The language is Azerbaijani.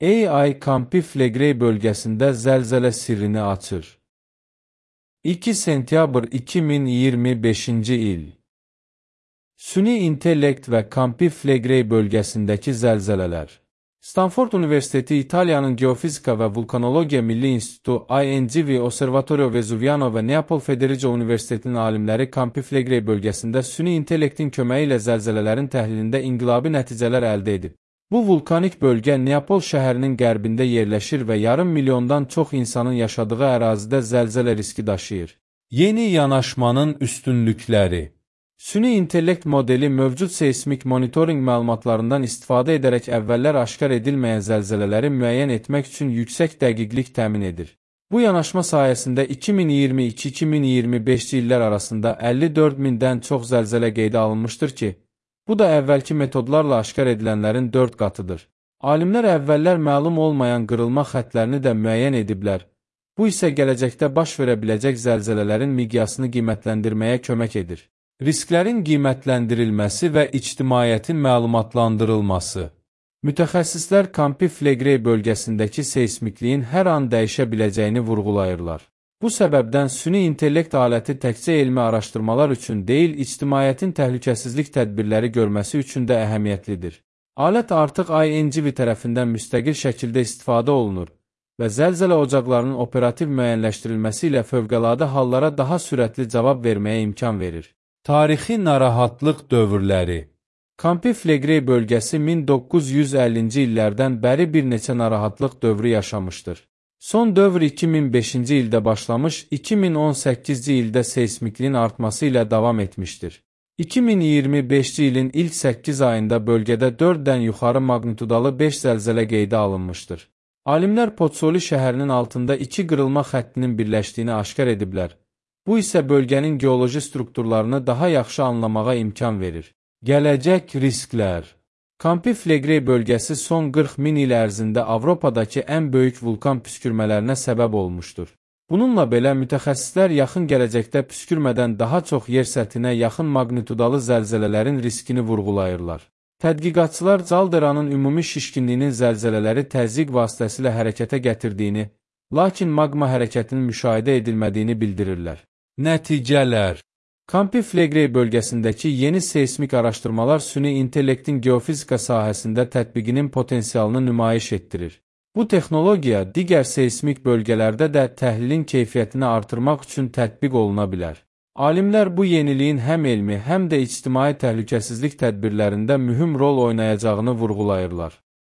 AI Campi-Flegrei bölgəsində zəlzələ sirrini açır. 2 sentyabr 2025-ci il. Süni intellekt və Campi-Flegrei bölgəsindəki zəlzələlər. Stanford Universiteti, İtaliyanın Geofizika və Vulkanologiya Milli İnstitutu, INGV, Osservatorio Vesuviano və Neapol Federico Universitetinin alimləri Campi-Flegrei bölgəsində süni intellektin köməyi ilə zəlzələlərin təhlilində inqilabi nəticələr əldə edib. Bu vulkanik bölgə Neapol şəhərinin qərbində yerləşir və yarım milyondan çox insanın yaşadığı ərazidə zəlzələ riski daşıyır. Yeni yanaşmanın üstünlükləri. Süni intellekt modeli mövcud seismik monitorinq məlumatlarından istifadə edərək əvvəllər aşkar edilməyən zəlzələləri müəyyən etmək üçün yüksək dəqiqlik təmin edir. Bu yanaşma sayəsində 2022-2025-ci illər arasında 54 mindən çox zəlzələ qeydə alınmışdır ki, bu da əvvəlki metodlarla aşkar edilənlərin 4 qatıdır. Alimlər əvvəllər məlum olmayan qırılma xəttlərini də müəyyən ediblər. Bu isə gələcəkdə baş verə biləcək zəlzələlərin miqyasını qiymətləndirməyə kömək edir. Risklərin qiymətləndirilməsi və ictimaiyyətin məlumatlandırılması. Mütəxəssislər Campi-Flegrei bölgəsindəki seismikliyin hər an dəyişə biləcəyini vurğulayırlar. Bu səbəbdən süni intellekt aləti təkcə elmi araşdırmalar üçün deyil, ictimaiyyətin təhlükəsizlik tədbirləri görməsi üçün də əhəmiyyətlidir. Alət artıq INGV tərəfindən müstəqil şəkildə istifadə olunur və zəlzələ ocaqlarının operativ müəyyənləşdirilməsi ilə fövqəladə hallara daha sürətli cavab verməyə imkan verir. Tarixi narahatlıq dövrləri. Campi-Flegrei bölgəsi 1950-ci illərdən bəri bir neçə narahatlıq dövrü yaşamışdır. Son dövr 2005-ci ildə başlamış, 2018-ci ildə seismikliyin artması ilə davam etmişdir. 2025-ci ilin ilk 8 ayında bölgədə 4-dən yuxarı maqnitudalı 5 zəlzələ qeydə alınmışdır. Alimlər Pozzoli şəhərinin altında 2 qırılma xəttinin birləşdiyini aşkar ediblər. Bu isə bölgənin geoloji strukturlarını daha yaxşı anlamağa imkan verir. Gələcək risklər. Campi-Flegrei bölgəsi son 40 min il ərzində Avropadakı ən böyük vulkan püskürmələrinə səbəb olmuşdur. Bununla belə mütəxəssislər yaxın gələcəkdə püskürmədən daha çox yer səthinə yaxın maqnitudalı zəlzələlərin riskini vurğulayırlar. Tədqiqatçılar calderanın ümumi şişkinliyinin zəlzələləri təzyiq vasitəsilə hərəkətə gətirdiyini, lakin maqma hərəkətinin müşahidə edilmədiyini bildirirlər. Nəticələr. Campi-Flegrei bölgəsindəki yeni seismik araşdırmalar süni intellektin geofizika sahəsində tətbiqinin potensialını nümayiş etdirir. Bu texnologiya digər seismik bölgələrdə də təhlilin keyfiyyətini artırmaq üçün tətbiq oluna bilər. Alimlər bu yeniliyin həm elmi, həm də ictimai təhlükəsizlik tədbirlərində mühüm rol oynayacağını vurğulayırlar.